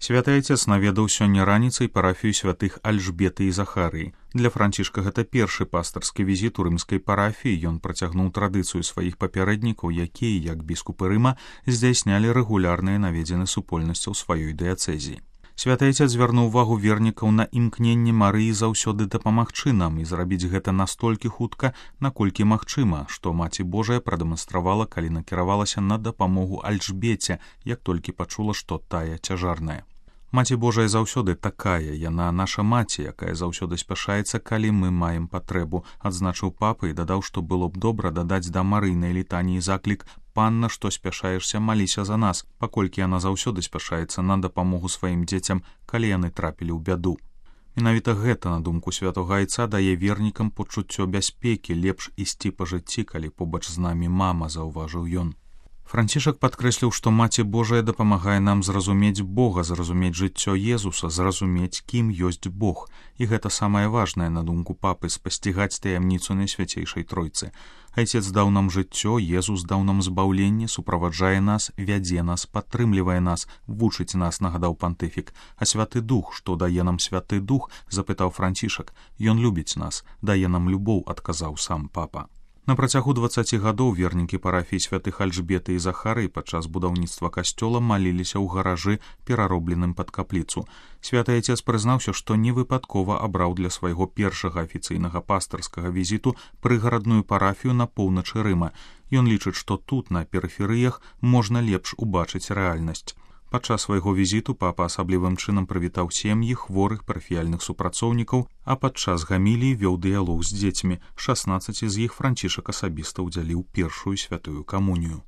Святы Айцец наведаў сёння раніцай парафію святых Альжбеты і Захарыі. Для Францішка гэта першы пастарскі візіт у рымскай парафіі. Ён працягнуў традыцыю сваіх папярэднікаў, якія, як біскупы Рыма, здзяйснялі рэгулярныя наведзены супольнасцяў сваёй дыяцэзіі. Святы Айцец звярнуў увагу вернікаў на імкненне Марыі заўсёды дапамагчы нам і зрабіць гэта настолькі хутка, наколькі магчыма, што Маці Божая прадэманстравала, калі накіравалася на дапамогу Альжбеце, як толькі пачула, што тая цяжарная. Маці Божая заўсёды такая, яна наша маці, якая заўсёды спяшаецца, калі мы маем патрэбу, адзначыў папа і дадаў, што было б добра дадаць да Марыйнай літаніі заклік «Панна, што спяшаешся, маліся за нас», паколькі яна заўсёды спяшаецца на дапамогу сваім дзецям, калі яны трапілі ў бяду. Менавіта гэта, на думку святога Айца, дае вернікам пачуццё бяспекі, лепш ісці па жыцці, калі побач з намі мама, заўважыў ён. Францішак падкрэсліў, што Маці Божая дапамагае нам зразумець Бога, зразумець жыццё Езуса, зразумець, кім ёсць Бог. І гэта самае важнае, на думку папы, спасцігаць таямніцу Найсвяцейшай Тройцы. Айцец даў нам жыццё, Езус даў нам збаўленне, суправаджае нас, вядзе нас, падтрымлівае нас, вучыць нас, нагадаў пантыфік. А Святы Дух, што дае нам Святы Дух, запытаў Францішак. Ён любіць нас, дае нам любоў, адказаў сам папа. На працягу 20 гадоў вернікі парафіі святых Альжбеты і Захарыі падчас будаўніцтва касцёла маліліся ў гаражы, пераробленым пад капліцу. Святы Айцец прызнаўся, што невыпадкова абраў для свайго першага афіцыйнага пастарскага візіту прыгарадную парафію на поўначы Рыма. Ён лічыць, што тут, на перыферыях, можна лепш убачыць рэальнасць. Падчас свайго візіту папа асаблівым чынам прывітаў сем'і хворых парафіяльных супрацоўнікаў, а падчас гаміліі вёў дыялог з дзецьмі. 16 з іх Францішак асабіста ўдзяліў першую святую камунію.